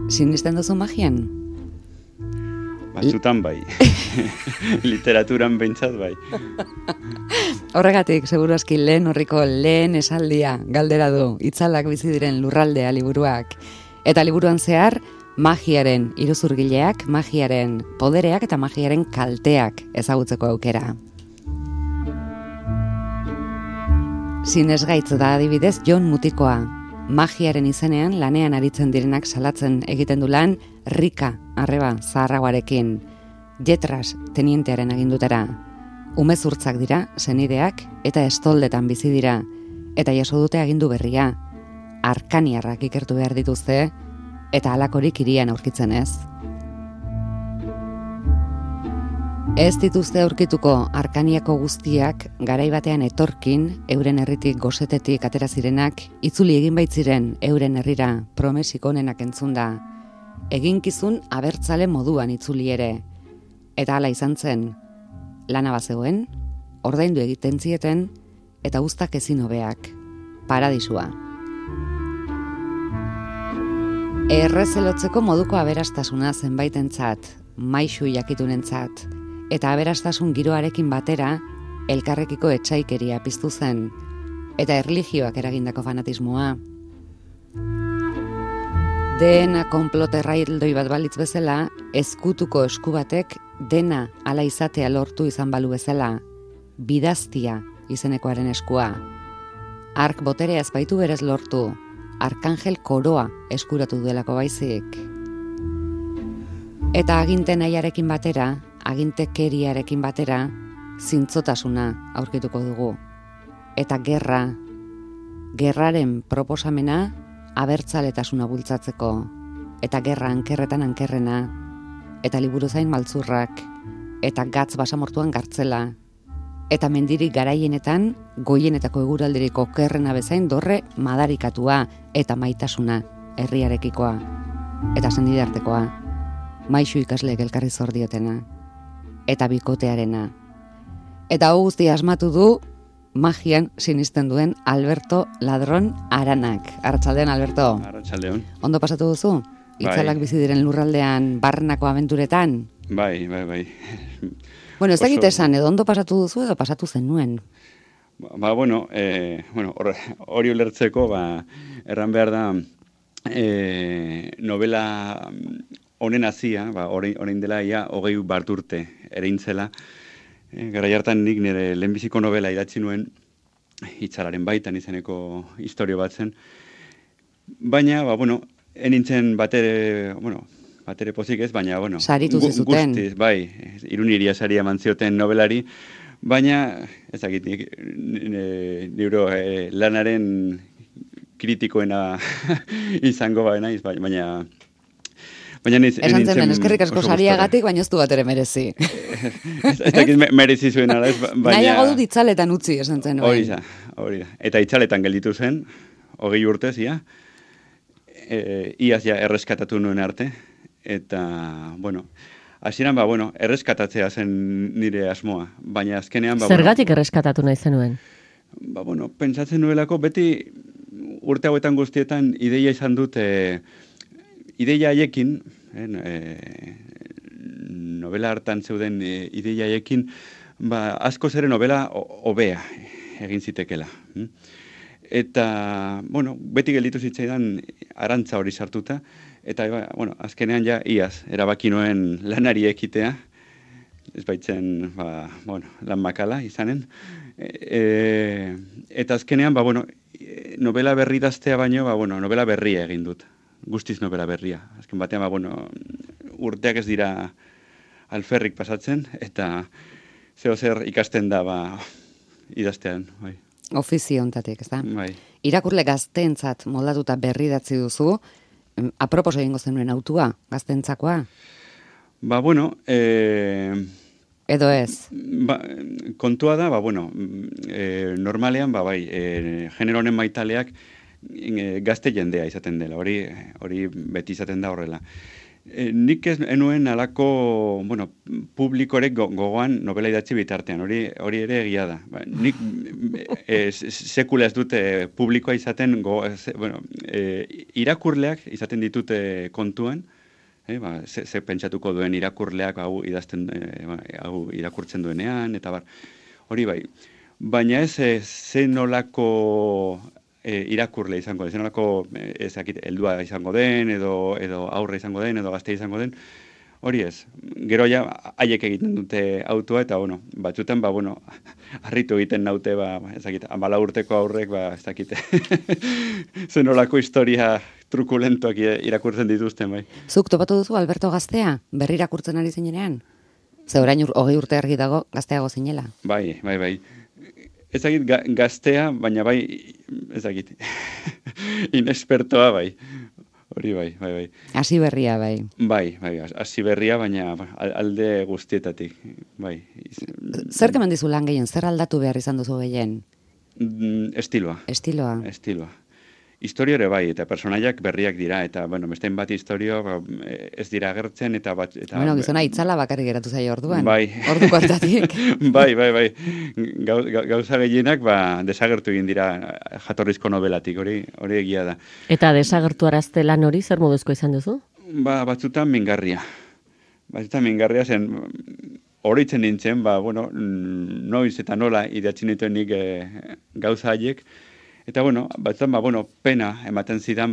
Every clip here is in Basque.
Sinisten duzu magian? Batzutan bai. Literaturan behintzat bai. Horregatik, seguru aski lehen horriko lehen esaldia galdera du, itzalak bizi diren lurraldea liburuak. Eta liburuan zehar, magiaren iruzurgileak, magiaren podereak eta magiaren kalteak ezagutzeko aukera. Sinesgaitz da adibidez Jon Mutikoa. Magiaren izenean lanean aritzen direnak salatzen egiten du lan Rika arreba zaharragoarekin, Jetras tenientearen agindutera. Umezurtzak dira, senideak eta estoldetan bizi dira, eta jaso dute agindu berria. Arkaniarrak ikertu behar dituzte, eta halakorik hirian aurkitzen ez. Ez dituzte aurkituko Arkaniako guztiak garai batean etorkin, euren herritik gosetetik atera zirenak, itzuli egin baitziren euren herrira promesik onenak entzunda. Eginkizun abertzale moduan itzuli ere. Eta hala izan zen, lana bazegoen, ordaindu egiten zieten, eta uztak ezin hobeak, paradisua. Errezelotzeko moduko aberastasuna zenbaitentzat, maixu jakitunentzat, eta aberastasun giroarekin batera, elkarrekiko etsaikeria piztu zen, eta erlijioak eragindako fanatismoa. Dena konplot erraildoi bat balitz bezala, ezkutuko esku batek dena ala izatea lortu izan balu bezala, bidaztia izenekoaren eskua. Ark boterea ez baitu berez lortu, arkangel koroa eskuratu duelako baizik. Eta aginte nahiarekin batera, agintekeriarekin batera, zintzotasuna aurkituko dugu. Eta gerraren proposamena abertzaletasuna bultzatzeko, eta gerra ankerretan ankerrena, eta liburuzain maltzurrak, eta gatz basamortuan gartzela, eta mendirik garaienetan, goienetako eguraldiriko okerrena bezain dorre madarikatua, eta maitasuna, herriarekikoa, eta sendidartekoa, maixu ikasleek elkarri zor diotena, eta bikotearena. Eta hau guztia asmatu du, magian sinisten duen Alberto Ladron Aranak. Arratsaldeon, Alberto. Arratsaldeon. Ondo pasatu duzu? Itzalak bizi diren lurraldean barrenako abenturetan? Bai. Bueno, ez dakit esan, edo ondo pasatu duzu edo pasatu zenuen? Hori ulertzeko, erran behar da, novela honen hazia, orain dela ia 20 bat urte ereintzela. Garai hartan nik nire lehenbiziko novela idatzi nuen, Itzalaren baitan izeneko istorio bat zen. Baina, enintzen batere pozik ez, baina, saritu zizuten. Guztiz, bai, Iruniria saria eman zioten novelari, baina, ezagitik, nire lanaren kritikoena izango naiz, baina esan zen, eskerrik asko sariagatik, baina ez du bat ere merezi. Ez dakit merezi zuen ala ez, baina... Nahiago dut itzaletan utzi, esan zen. Hori da. Eta itzaletan gelditu zen, 20 urtez, iaz erreskatatu nuen arte, eta, hasieran erreskatatzea zen nire asmoa, baina azkenean... Zergatik erreskatatu nahi zenuen? Pentsatzen nuelako, beti urte hauetan guztietan ideia izan dut, ideia haiekin, novela hartan zeuden ideia haiekin, asko zere novela hobea egin zitekela. Eta, beti gelditu zitzaidan arantza hori sartuta, eta, azkenean iaz, erabaki nuen lanari ekitea, ez baitzen, lan makala izanen, eta azkenean, novela berri daztea baino, novela berria egin dut. Guztiz novela berria. Azken batean, urteak ez dira alferrik pasatzen, eta zer ikasten da idaztean. Bai. Ofizio ontatik, ez da? Bai. Irakurle gazteentzat moldatuta berri datzi duzu, apropos egingo zenuen autua, gazteentzakoa? Edo ez? Kontua da, normalean, genero honen maitaleak, gazte jendea izaten dela, hori beti izaten da horrela. Nik ez enuen alako, publikorek gogoan novela idatzi bitartean, hori ere egia da. Nik sekula ez dute publikoa izaten, irakurleak izaten ditute kontuan, ze pentsatuko duen irakurleak hau irakurtzen duenean, eta bar, hori bai. Baina ez zenolako irakurle izango den, zenolako heldua izango den, edo aurre izango den, edo gazte izango den, hori ez. Gero ja, haiek egiten dute autua, eta batzutan, harritu egiten naute, 14 urteko aurrek, ez dakite, zenolako historia trukulentoak irakurtzen dituzten, bai. Zuk topatu duzu Alberto gaztea, berri irakurtzen ari zinenean? Ze orain 20 urte argi dago gazteago zinela. Bai. Ez dakit gaztea, baina bai, ez dakit, inespertoa bai. Hori bai. Hasi berria bai. Bai, hasi berria, baina alde guztietatik, bai. Zer keman dizu lan gehien, zer aldatu behar izan duzu gehien? Estiloa. Historio ere bai, eta personaiak berriak dira, eta, bestein bat historio ez dira agertzen, eta bat... Gizona itzala bakarrik geratu zaio orduan. Bai. Orduko hartatik. Bai. Gauza gehienak, desagertu egin dira jatorrizko novelatik, hori egia da. Eta desagertu arazte lan hori, zer moduzko izan duzu? Batzutan mingarria. Zen, horitzen nintzen, noiz eta nola idatzi nituen nik gauza haiek, eta, batzutan, pena ematen zidan,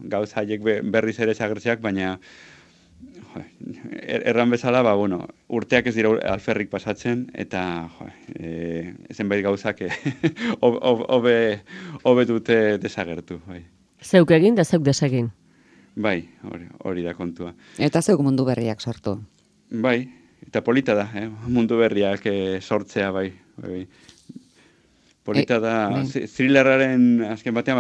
gauza haiek berriz ere zagertzeak, baina erran bezala, urteak ez dira alferrik pasatzen, eta zenbait gauzak hobe dute desagertu. Bai. Zeuk egin da zeuk desegin. Bai, hori da kontua. Eta zeuk mundu berriak sortu. Bai, eta polita da, mundu berriak sortzea, bai. Polita da, thrillerraren azken batean,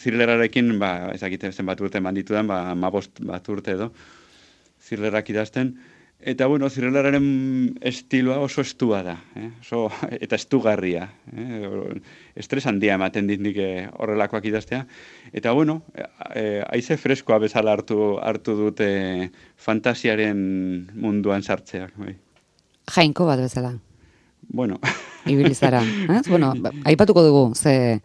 thrillerrarekin, ezakite zenbat urte manditudan, 15 bat urte edo, thrillerrak idazten, eta, thrillerraren estiloa oso estua da, eta estugarria, estres handia ematen dit nik horrelakoak idaztea, eta, haize freskoa bezala hartu dute fantasiaren munduan sartzeak, bai. Jainko bat bezala. Ibilizara. Aipatuko dugu, ze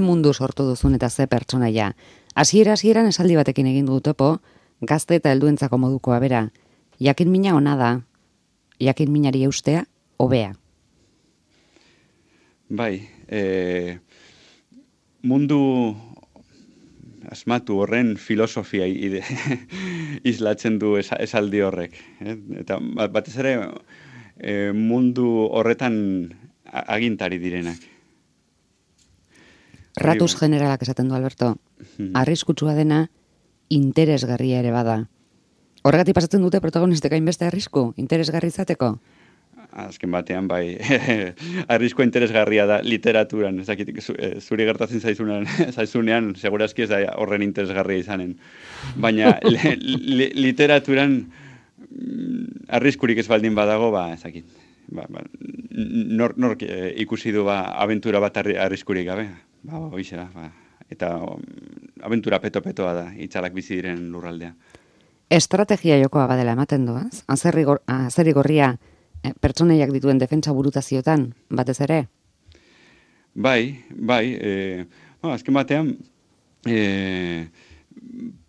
mundu sortu duzun eta ze pertsonaia. Hasieran esaldi batekin egin du topo, gazte eta helduentzako modukoa bera. Jakin mina ona da, jakin minari eustea, hobea. Bai, mundu asmatu horren filosofia islatzen du esaldi horrek. Eta batez ere, mundu horretan agintari direnak. Ratus generalak esaten du, Alberto. Arriskutsua dena, interesgarria ere bada. Horregatik pasatzen dute protagonistek hainbeste arrisku, interesgarri izateko? Azken batean, bai, arriskua interesgarria da literaturan. Zuri gertatzen zaizunean, segurazki ez da horren interesgarria izanen. Baina literaturan arriskurik ez baldin badago, ezakit. Nork ikusi du abentura bat arriskurik gabe. Hoize da. Eta abentura peto-petoa da, itzalak bizi diren lurraldea. Estrategia jokoa badela ematen doaz? Azeri gorria pertsoneiak dituen defentsa burutaziotan, batez ere? Bai. Azken batean,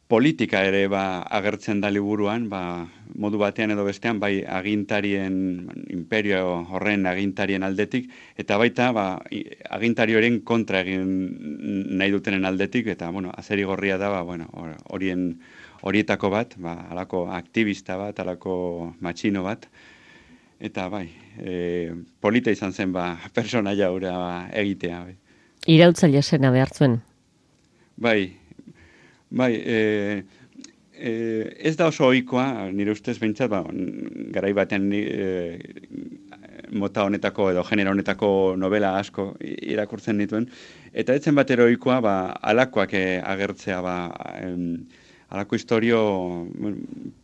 politika ere agertzen da liburuan, modu batean edo bestean, bai agintarien, imperio horren agintarien aldetik, eta baita agintarioren kontra egin nahi dutenen aldetik, eta azeri gorria da, horietako bat, alako aktivista bat, alako matxino bat, eta bai, polita izan zen personaia hura egitea. Bai. Irautzaile zena behar zuen? Bai, ez da oso ohikoa, nire ustez behintzat, garai batean mota honetako edo genero honetako novela asko irakurtzen dituen, eta etzen batero ohikoa alakoak agertzea, alako historio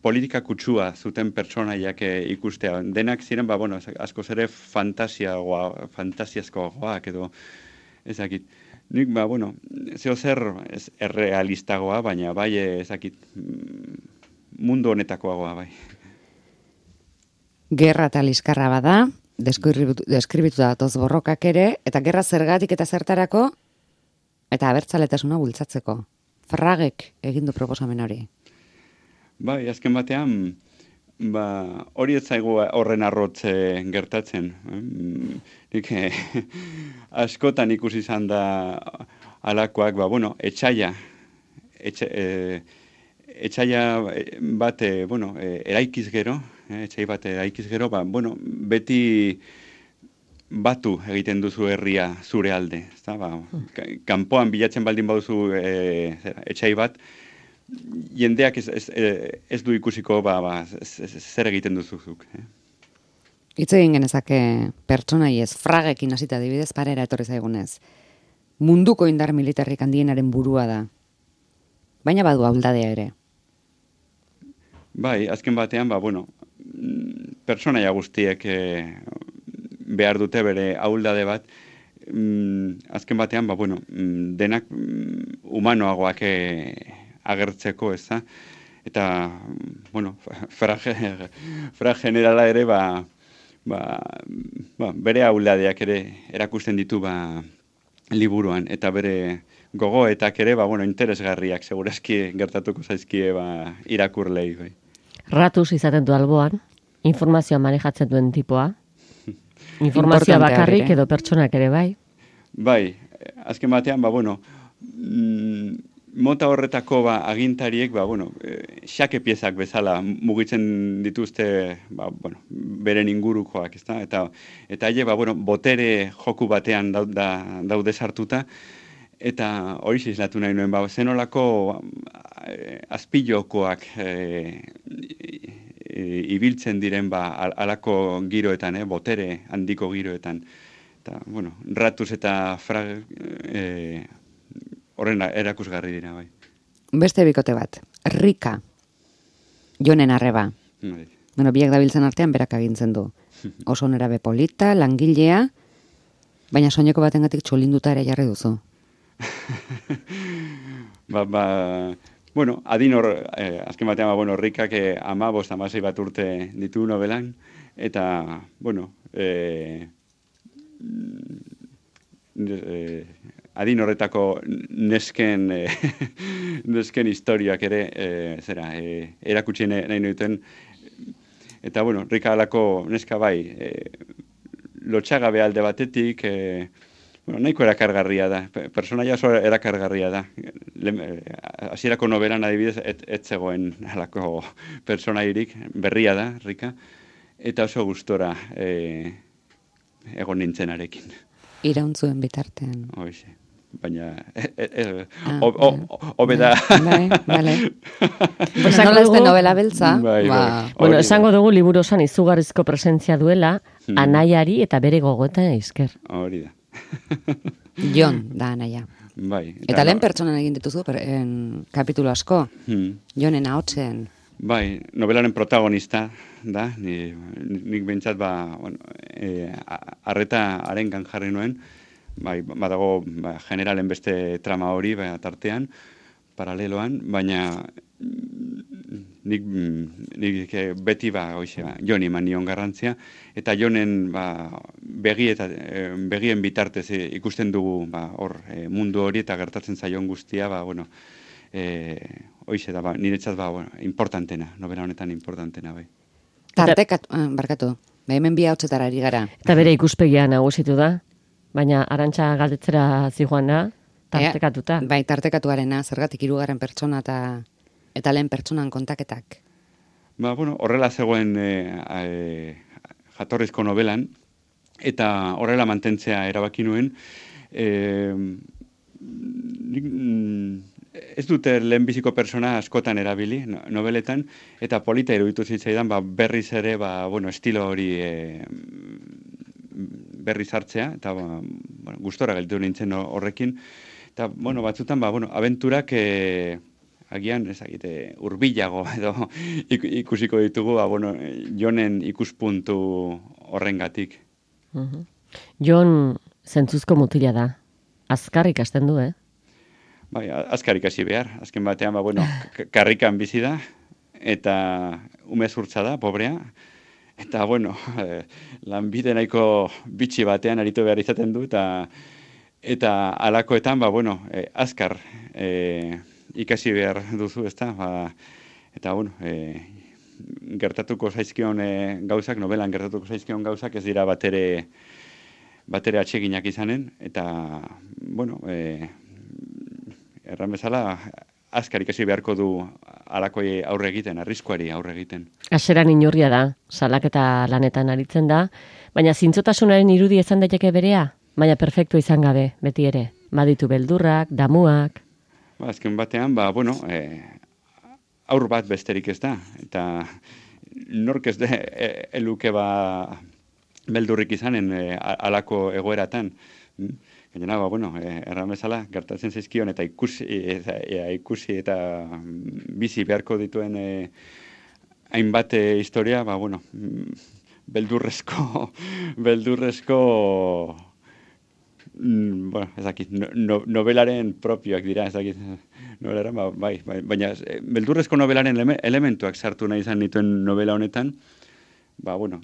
politika kutsua zuten pertsonaiak ikustea. Denak ziren, askoz ere fantasiazkoagoak edo ezakit. Nik, zeo zer errealistagoa, baina bai ezakit mundu honetakoagoa, bai. Gerra eta liskarra bada, deskribitu datoz borrokak ere, eta gerra zergatik eta zertarako, eta abertzaletasuna bultzatzeko. Fragek egin du proposamen hori. Bai, azken batean, hori ez zaigu horren arrotze gertatzen. Nik askotan ikusi izan da alakoak, etxaia bat, eraikiz gero, etxai bat eraikiz gero, beti batu egiten duzu herria zure alde. Kanpoan bilatzen baldin baduzu etxai bat, jendeak ez du ikusiko zer egiten duzuzuk. Hitz egin genezake pertsonaiez, fragekin hasita adibidez parera etorri zaigunez. Munduko indar militarrik handienaren burua da. Baina badu ahuldadea ere. Bai, azken batean, pertsonaia guztiek behar dute bere ahuldade bat, azken batean, denak humanoagoak agertzeko, ez da? Eta, fra generala ere, bere ahuldadeak ere erakusten ditu liburuan, eta bere gogoetak ere, interesgarriak, segurazki gertatuko zaizkie irakurlei. Bai. Ratuz izaten du alboan, informazioa manejatzen duen tipoa, informazioa bakarrik edo pertsonak ere, bai? Bai, azken batean, mota horretako agintariek, xake piezak bezala mugitzen dituzte, beren ingurukoak, ezta? Eta haie, botere joku batean daude sartuta, eta hori zizlatu nahi nuen, zenolako azpilokoak ibiltzen diren alako giroetan, botere handiko giroetan. Eta, ratuz eta frag horren erakusgarri dira, bai. Beste bikote bat, Rika, Jonen arreba. Biak dabiltzen artean berak agintzen du. Oso nerabe polita, langilea, baina soineko batengatik txolinduta ere jarri duzu. Adin hor, azken batean, Rikak 15-16 bat urte ditu nobelan, eta, adin horretako nesken historiak ere erakutsi nahi nuten. Eta, Rika alako neska bai, lotxagabe alde batetik, nahiko erakargarria da, personaia oso erakargarria da. Hasierako nobelan adibidez, ez zegoen alako personairik, berria da, Rika, eta oso gustora egon nintzenarekin. Irauntzuen bitartean. Hoxe. Baina, hobe da. Bai, bale. Nola ez den novela beltza. Esango dugu liburu osan izugarrizko presentzia duela, anaiari eta bere gogoetan eizker. Hori da. Jon da anaia. Bai. Eta lehen pertsonan egin dituzu kapitulo asko. Jonen ahotsen. Bai, novelaren protagonista da. Nik behintzat arreta arengan jarri nuen. Bai, badago generalen beste trama hori tartean, paraleloan, baina nik beti Joni eman nion garrantzia, eta Jonen begien bitartez ikusten dugu mundu hori eta gertatzen zaion guztia, hoize da, niretzat importantena, novela honetan importantena, bai. Barkatu, hemen bi ahotsetara ari gara. Eta bere ikuspegia nagusitu da? Baina Arantxa galdetzera zijoan da, tartekatuta. Bai, tartekatuarena, zergatik 3. pertsona eta lehen pertsonan kontaketak. Horrela zegoen jatorrizko novelan, eta horrela mantentzea erabaki nuen. Ez dute lehenbiziko persona askotan erabili, nobeletan, eta polita iruditu zitzaidan, berriz ere, estilo hori berriz hartzea, eta gustora gelditu nintzen horrekin. Eta, batzutan, abenturak agian, ezagite, urbilago edo ikusiko ditugu, Jonen ikuspuntu horrengatik. Jon zentzuzko mutila da. Azkar ikasten du, Bai, azkar ikasi behar. Azken batean, karrikan bizi da, eta umezurtza da, pobrea, eta, bueno, lanbide nahiko bitxi batean aritu behar izaten du, eta alakoetan, bueno, azkar ikasi behar duzu, ezta, eta, bueno, gertatuko zaizkion gauzak, novelan gertatuko zaizkion gauzak, ez dira batere atseginak izanen, eta, bueno, erran bezala, azkar ikasi beharko du alakoi aurre egiten, arriskuari aurre egiten. Aseran inurria da, salaketa lanetan aritzen da, baina zintzotasunaren irudi izan daiteke berea, baina perfektu izan gabe, beti ere. Baditu beldurrak, damuak. Azken batean, bueno, aur bat besterik ez da, eta nork ez eluke beldurrik izanen alako egoeratan. Gainera, bueno, erran bezala, gertatzen zaizkion eta ikusi eta bizi beharko dituen hainbat historia, bueno, beldurrezko, bueno, ez dakit, novelaren propioak dira, ez dakit, novelaren, bai, baina beldurrezko novelaren elementuak sartu nahi izan dituen novela honetan, bueno,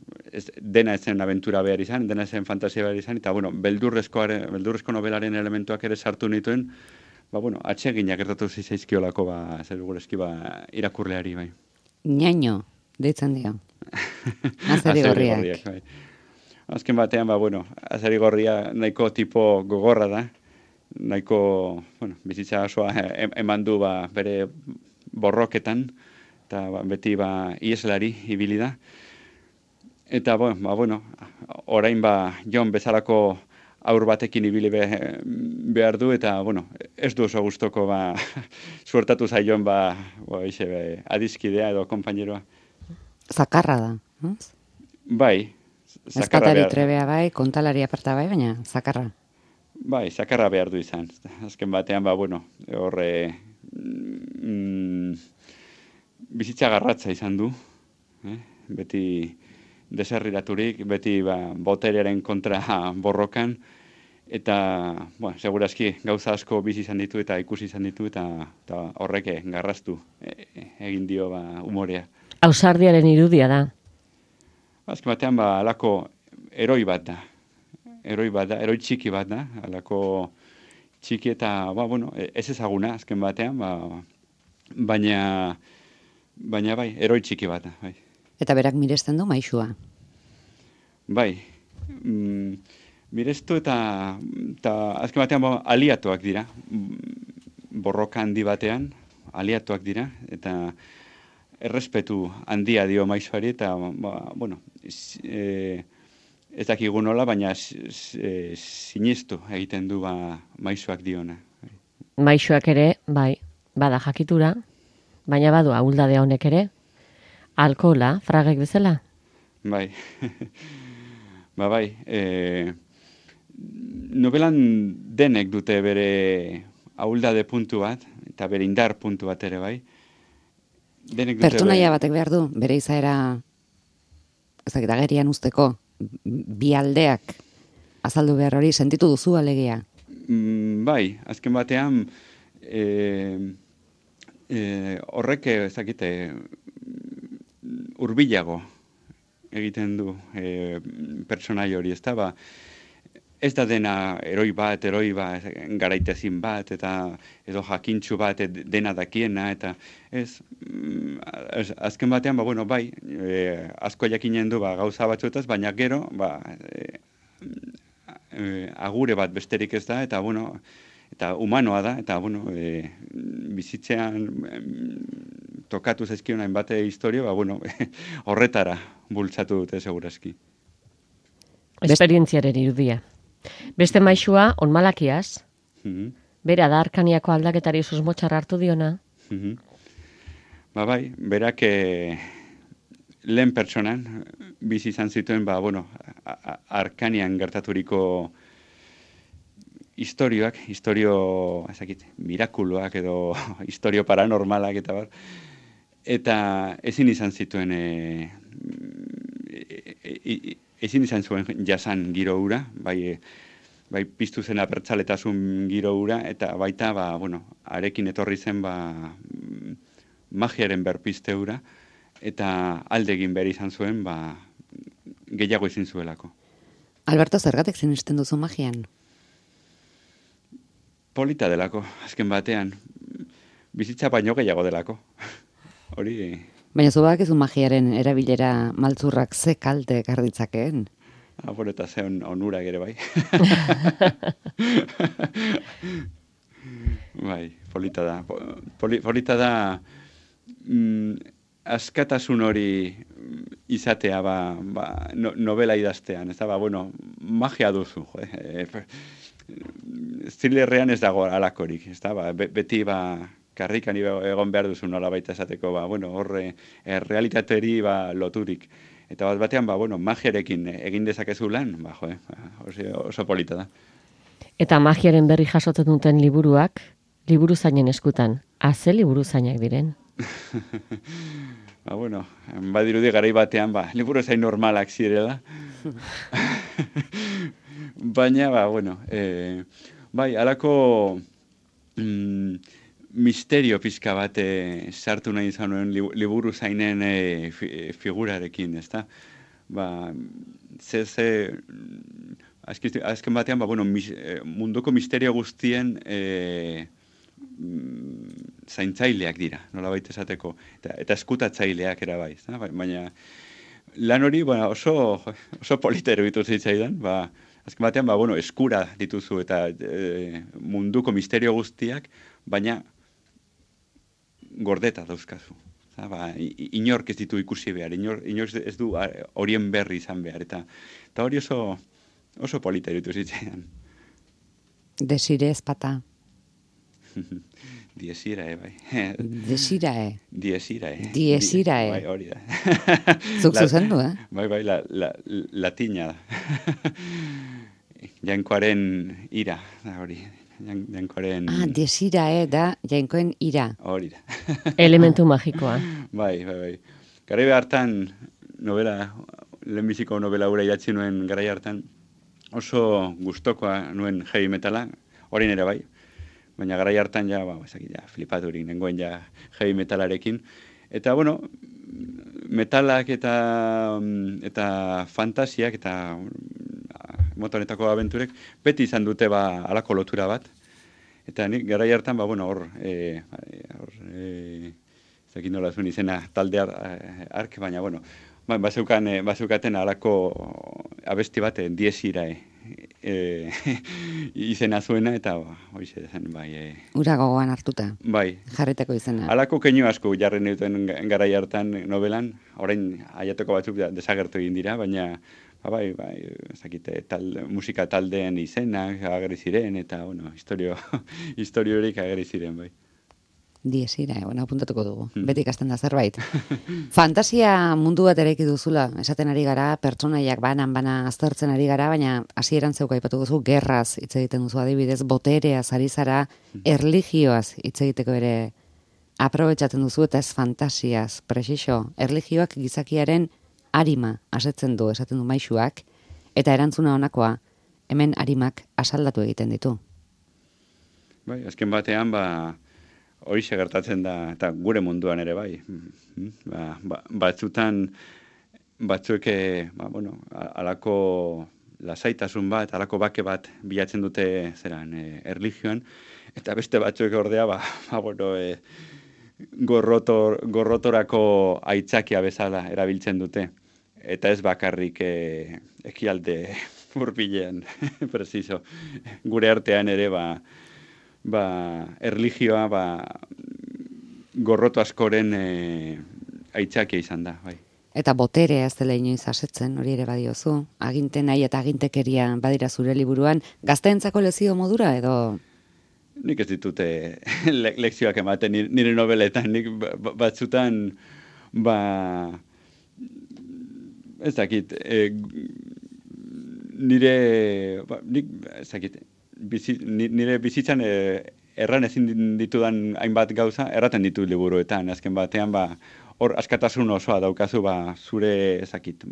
dena ezen abentura behar izan, dena ezen fantasia behar izan, eta, bueno, beldurrezko novelaren elementuak ere sartu nituen, bueno, atseginak gertatu zizaizkiolako, zerugurezki, irakurleari, bai. Ñaño, deitzen dio. Azeri gorriak. Bai. Azken batean, bueno, azeri gorria nahiko tipo gogorra da, nahiko, bueno, bizitza osoa eman du bere borroketan, eta beti ieslari ibili da. Eta, bueno, orain Jon bezalako aur batekin ibili behar du, eta, bueno, ez du oso gustoko suertatu zaion adizkidea edo konpaineroa. Zakarra da, no? Bai, zakarra Ezpatari trebea bai, kontalari aparta bai, baina zakarra. Bai, zakarra behar du izan. Azken batean, bueno, horre bizitza garratza izan du, beti deserriraturik, beti boterearen kontra borrokan, eta, segurazki gauza asko bizi izan ditu eta ikusi izan ditu, eta horrek garraztu egin dio umorea. Ausardiaren irudia da. Azken batean, alako eroi bat da. Eroi txiki bat da, alako txiki eta, bueno, ez ezaguna, azken batean, baina bai, eroi txiki bat da, bai. Eta berak miresten du maixua. Bai, mirestu eta azken batean aliatuak dira, borroka handi batean, aliatuak dira, eta errespetu handia dio maixuari, eta, bueno, ez dakigu nola, baina sinistu egiten du maixuak diona. Maixuak ere, bai, bada jakitura, baina badu ahuldadea honek ere, alkohola, fragek bezala? Bai, bai, novelan denek dute bere ahuldade puntu bat, eta bere indar puntu bat ere, bai. Pertsonaia batek behar du, bere izaera, ezakit agerian usteko, bi aldeak azaldu behar hori, sentitu duzu alegia? Bai, azken batean, horrek, ezakite, hurbilago egiten du pertsonai hori, ez da, ez da dena eroi bat, garaitezin bat, eta edo jakintxu bat dena dakiena, eta ez, azken batean, bueno, bai, asko jakinen du gauza batzuetaz, baina gero, agure bat besterik ez da, eta, bueno, eta humanoa da, eta, bueno, bizitzean tokatu zaizkion hainbat historio, bueno, horretara bultzatu dute segurazki. Esperientziaren irudia. Beste maixua, onmalakiaz, bera da Arkaniako aldaketari susmotxar hartu diona. Bai, berak lehen pertsonan bizi izan zituen, bueno, Arkanian gertaturiko historio, ezakit, mirakuloak edo historio paranormalak eta bar, eta ezin izan zituen ezin izan zuen jasan giro hura, bai piztu zen abertzaletasun giro hura, eta baita, bueno, arekin etorri zen, magiaren berpizte hura, eta alde egin behar izan zuen, gehiago ezin zuelako. Alberto, zergatik sinisten duzu magian? Polita delako, azken batean. Bizitza baino gehiago delako. Hori... Baina zu badakizu magiaren erabilera maltzurrak ze kalte garditzakeen? Bueno, eta ze onurak ere bai. Bai, polita da. Polita da askatasun hori izatea novela idaztean. Ez da, bueno, magia duzu. Thrillerrean ez dago alakorik. Ez da, beti karrikan egon behar duzu nola baita esateko, bueno, horre realitateri loturik. Eta bat batean, bueno, magiarekin egin dezakezu lan, oso polita da. Eta magiaren berri jasotzen duten liburuak, liburuzainen eskutan, ze liburuzainak diren? Bueno, badirudi garai batean, liburuzain normalak zirela. Baina, bueno, bai, halako misterio pizka bat sartu nahi izan nuen liburuzainen figurarekin, ezta? Azken batean, bueno, munduko misterio guztien zaintzaileak dira, nola baita esateko, eta eskutatzaileak era bai, ezta? Baina lan hori oso polita eruditu zitzaidan, azken batean, bueno, eskura dituzu eta munduko misterio guztiak, baina gordeta dauzkazu. Inork ez ditu ikusi behar, inork ez du horien berri izan behar, eta hori oso polita eruditu zitzaidan. Desire ezpata. Diesirae, bai. Desirae. Diesirae. Diesirae. Bai, hori da. Zuk zuzendu, Bai, latina da. Jainkoaren ira, da hori. Jainkoaren... desirae da jainkoen ira. Hori da. Elementu magikoa. Bai. Garai hartan, lehenbiziko novela hura idatzi nuen garai hartan, oso gustokoa nuen heavy metala, orain ere bai, baina garai hartan flipaturik nengoen heavy metalarekin. Eta, bueno, metalak eta fantasiak eta motonetako abenturek beti izan dute halako lotura bat. Eta nik garai hartan, hor, zekin nola zuen izena talde ark, baina, bueno, bazeukaten halako abesti bat, Diesirae izena zuena, eta hoize zen, bai. Ura gogoan hartuta. Bai. Jarriteko izena. Halako keinu asko jarren duten garai hartan novelan, orain aiateko batzuk desagertu egin dira, baina bai, ezakite, musika taldeen izenak agerri ziren, eta, bueno, historio horik agerri ziren, bai. Diesirae, apuntatuko dugu. Beti ikasten da zerbait. Fantasia mundu bat eraiki duzula, esaten ari gara, pertsonaiak bana aztertzen ari gara, baina hasieran zeuk aipatu duzu, gerraz hitz egiten duzu adibidez, botereaz ari zara, erlijioaz hitz egiteko ere aprobetxatzen duzu, eta ez fantasiaz, presixo, erlijioak gizakiaren arima asetzen du, esaten du maisuak, eta erantzuna honakoa, hemen arimak asaldatu egiten ditu. Bai, azken batean, horixe gertatzen da, eta gure munduan ere bai. Batzuek, alako lasaitasun bat, alako bake bat bilatzen dute erlijioan, eta beste batzuek ordea, gorrotorako aitzakia bezala erabiltzen dute. Eta ez bakarrik ekialde hurbilean, preciso. Gure artean ere, erlijioa gorroto askoren aitzakia izan da, bai. Eta boterea ez dela inoiz asetzen, hori ere badiozu. Aginte nahi eta agintekeria badira zure liburuan, gazteentzako lezio modura edo? Nik ez ditute lekzioak ematen nire nobeletan, nik batzutan, ez dakit, nire bizitzan erran ezin ditudan hainbat gauza, erraten ditu liburuetan, azken batean, hor askatasun osoa daukazu, zure, ezakit,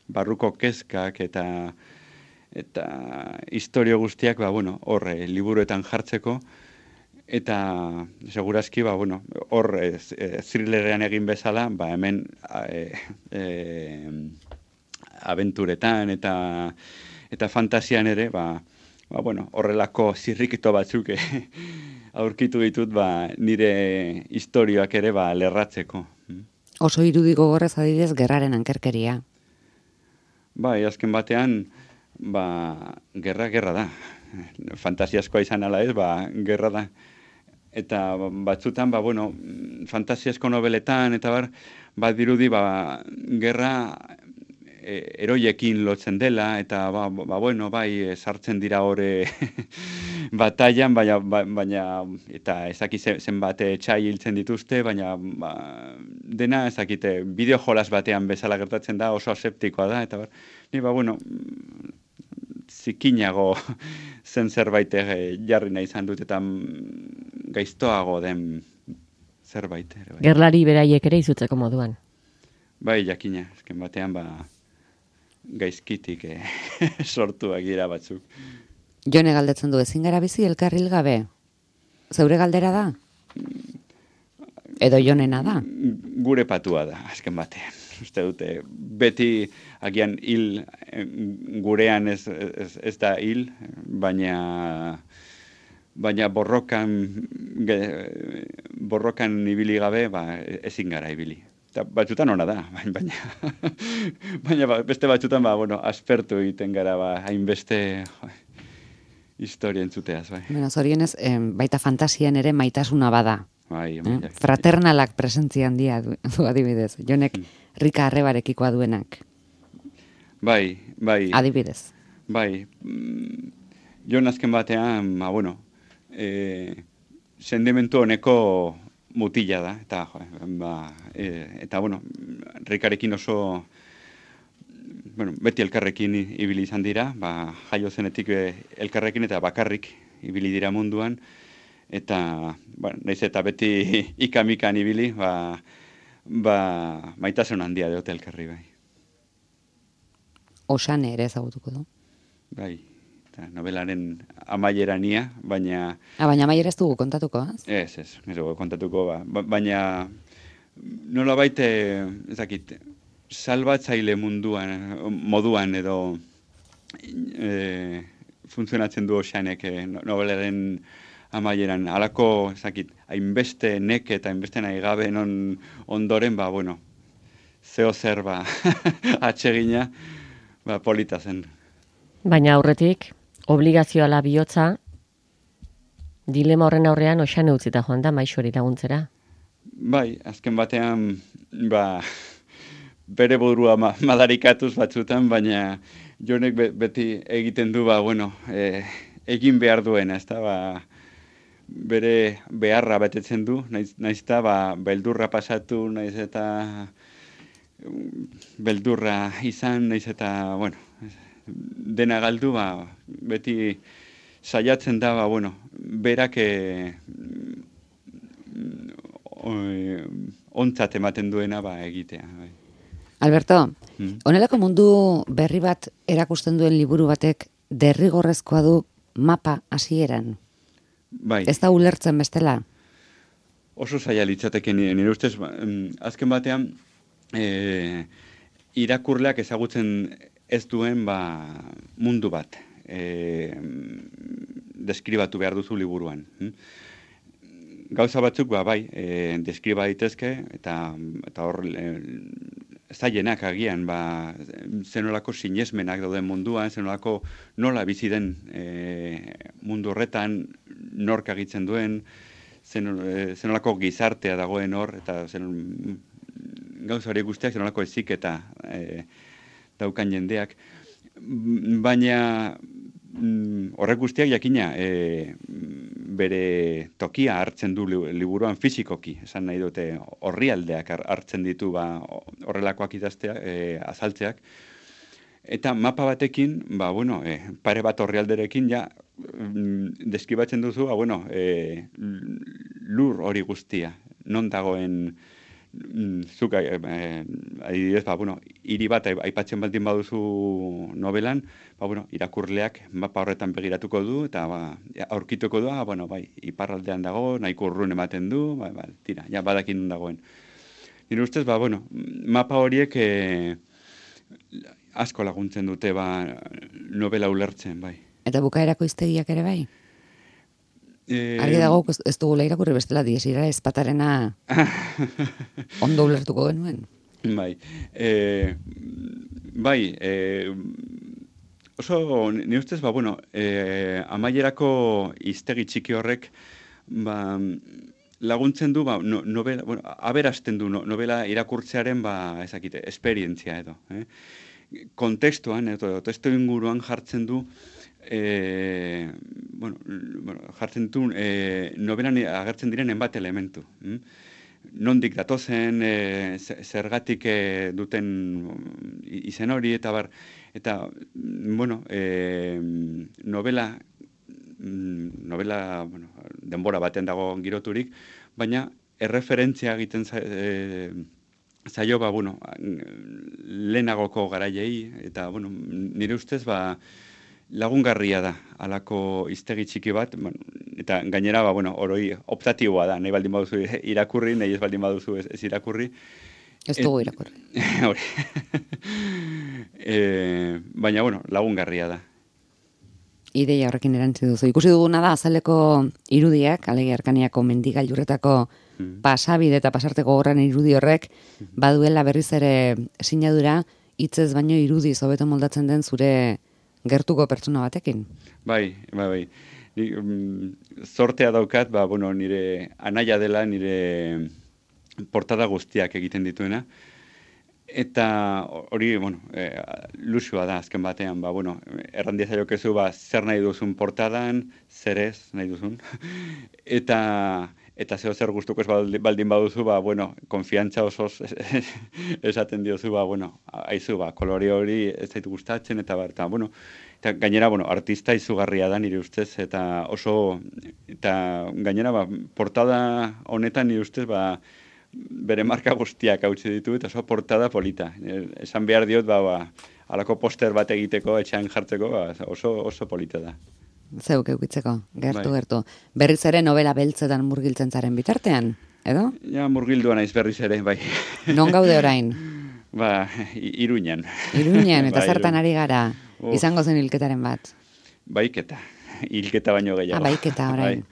barruko kezkak eta historio guztiak, hor liburuetan jartzeko, Eta segurazki, bueno, hor thrillerean egin bezala, hemen abenturetan eta fantasian ere, bueno, horrelako zirrikito batzuk aurkitu ditut, nire historioak ere lerratzeko. Oso irudi gogorrez adibidez gerraren ankerkeria. Azken batean, gerra da. Fantasiaskoa izan ala ez, gerra da. Eta batzutan, bueno, fantasiasko nobeletan, eta dirudi, gerra eroiekin lotzen dela, eta bueno, sartzen dira hori bataian, baina eta ezaki zenbat txai hiltzen dituzte, baina dena ezakite bideo jolas batean bezala gertatzen da, oso aseptikoa da, eta ni bueno, zikinago zen zerbait jarri nahi izan dut, eta gaiztoago den zerbait. Gerlari beraiek ere izutzeko moduan. Jakina, ezken batean gaizkitik sortuak dira batzuk. Jone galdetzen du, ezin gara bizi elkarril gabe? Zeure galdera da? Edo Jonena da? Gure patua da, azken batean. Uste dute, beti agian hil gurean ez da hil, baina borrokan ibili gabe, ezin gara ibili. Batzutan ona da, baina beste batzutan, bueno, aspertu egiten gara, hainbeste historia entzuteaz, Zorionez, baita fantasian ere maitasuna bada. Fraternalak presentzia handia du adibidez. Jonek Rika Arrebarekikoa duenak. Bai. Adibidez. Jon azken batean, bueno, sentimentu honeko mutila da, eta bueno, Rikarekin oso, bueno, beti elkarrekin ibili izan dira, jaio zenetik elkarrekin eta bakarrik ibili dira munduan, eta, nahiz eta beti ikamikan ibili, maitasun handia deote elkarri, Osane ere ezagutuko du. Novelaren amaierania, baina... Baina amaiera ez dugu kontatuko, Ez dugu kontatuko, baina nola baite, ezakit, salbatzaile moduan edo funtzionatzen du Oxanek novelaren amaieran. Halako, ezakit, hainbeste nek eta hainbeste nahi gabe ondoren, bueno, zeo zer atsegina, polita zen. Baina aurretik, obligazioala bihotza, dilema horren aurrean Oxane utzita joan da Maixori laguntzera. Azken batean, bere burua madarikatuz batzutan, baina Jonek beti egiten du, bueno, egin behar duena, ez da, bere beharra betetzen du, naiz eta beldurra pasatu, naiz eta beldurra izan, naiz eta, bueno, dena galdu, beti saiatzen da, bueno, berak ontzat ematen duena egitea. Alberto, honelako mundu berri bat erakusten duen liburu batek derrigorrezkoa du mapa hasieran? Ez da ulertzen bestela? Oso zaila litzateke nire ustez, azken batean, irakurleak ezagutzen ez duen mundu bat deskribatu behar duzu liburuan. Gauza batzuk deskriba daitezke eta hor zailenak agian zenolako sinesmenak dauden munduan, zenolako nola bizi den mundu horretan, nork agitzen duen, zenolako gizartea dagoen hor, eta gauza hori guztiak zenolako eziketa daukan jendeak, baina horrek guztiak jakina bere tokia hartzen du liburuan fizikoki, esan nahi dute orrialdeak hartzen ditu horrelakoak idazteak, azaltzeak, eta mapa batekin, bueno, pare bat orrialderekin deskribatzen duzu, bueno, lur hori guztia, non dagoen zuk adibidez, bueno, hiri bat aipatzen baldin baduzu novelan, bueno, irakurleak mapa horretan begiratuko du, eta aurkituko du, bueno, bai, iparraldean dago, nahiko urrun ematen du, tira, ja badakin nun dagoen. Nire ustez, bueno, mapa horiek asko laguntzen dute, novela ulertzen, bai. Eta bukaerako hiztegiak ere bai? Argi dago, ez dugula irakurri bestela, diesira ezpatarena ondo ulertuko genuen. Bai. Bai, oso, nire ustez, bueno, amaierako hiztegi txiki horrek, laguntzen du, novela, bueno, aberasten du novela irakurtzearen, ezakite, esperientzia edo. Kontekstuan, testu inguruan jartzen du, jartzen du novelan agertzen diren enbat elementu. Nondik datozen, zergatik duten izen hori, eta bueno, novela, denbora baten dago giroturik, baina erreferentzia egiten zaio, bueno, lehenagoko garaiei, eta, bueno, nire ustez, lagungarria da, alako hiztegi txiki bat, eta gainera, bueno, oroi optatiboa da, nahi baldin baduzu irakurri, nahi ez baldin baduzu ez irakurri. Ez dugu irakurri. Baina, bueno, lagungarria da. Ideia horrekin erantzi duzu. Ikusi duguna da, azaleko irudiak, Alegia Arkaniako mendigailurretako pasabide eta pasarteko gorran irudi horrek, baduela berriz ere sinadura, hitzez baino irudiz hobeto moldatzen den zure gertuko pertsona batekin. Bai. Zortea daukat, bueno, nire anaia dela, nire portada guztiak egiten dituena. Eta hori, bueno, lusua da azken batean, bueno, errandia zaiokezu, zer nahi duzun portadan, zer ez nahi duzun. Eta zer gustuko ez baldin baduzu, bueno, konfiantza osoz esaten diozu, bueno, aizu, kolore hori ez zaitu gustatzen, eta bueno, eta gainera, bueno, artista izugarria da nire ustez, eta gainera, portada honetan nire ustez, bere marka guztiak hautsi ditu, eta oso portada polita. Esan behar diot, alako poster bat egiteko, etxean jartzeko, oso polita da. Zeuk eukitzeko, gertu. Berriz ere novela beltzetan murgiltzen zaren bitartean, edo? Ja, murgildua naiz berriz ere, bai. Non gaude orain? Iruñan. Iruñan, eta zertan ari gara, izango zen hilketaren bat? Baiketa, hilketa baino gehiago. Baiketa orain.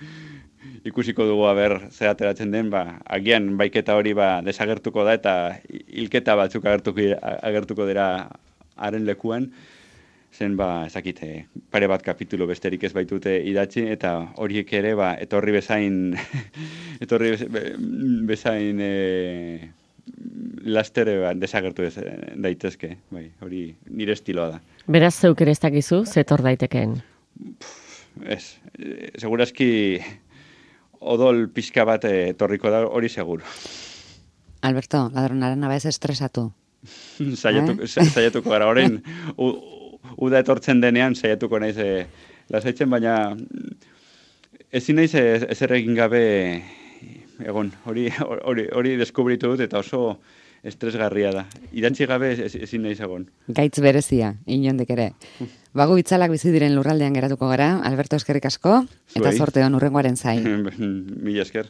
Ikusiko dugu zer ateratzen den, agian baiketa hori desagertuko da, eta hilketa batzuk agertuko dira haren lekuan, zen, ezakite, pare bat kapitulu besterik ez baitute idatzi, eta horiek ere, etorri bezain lastere desagertu daitezke, hori nire estiloa da. Beraz, zeuk ere ez dakizu, zetor daitekeen? Ez, segurazki odol pixka bat etorriko da, hori seguro. Alberto, ladronaren abez estresatu. Saiatuko gara, orain, uda etortzen denean, saiatuko naiz lasaitzen, baina ezin naiz ezer egin gabe egon, hori deskubritu dut, eta oso estresgarria da. Idatzi gabe ezin naiz egon. Gaitz berezia, inondik ere. Bagu itzalak bizi diren lurraldean geratuko gara, Alberto, eskerrik asko, eta zorte hon urrengoaren zain. Mila esker.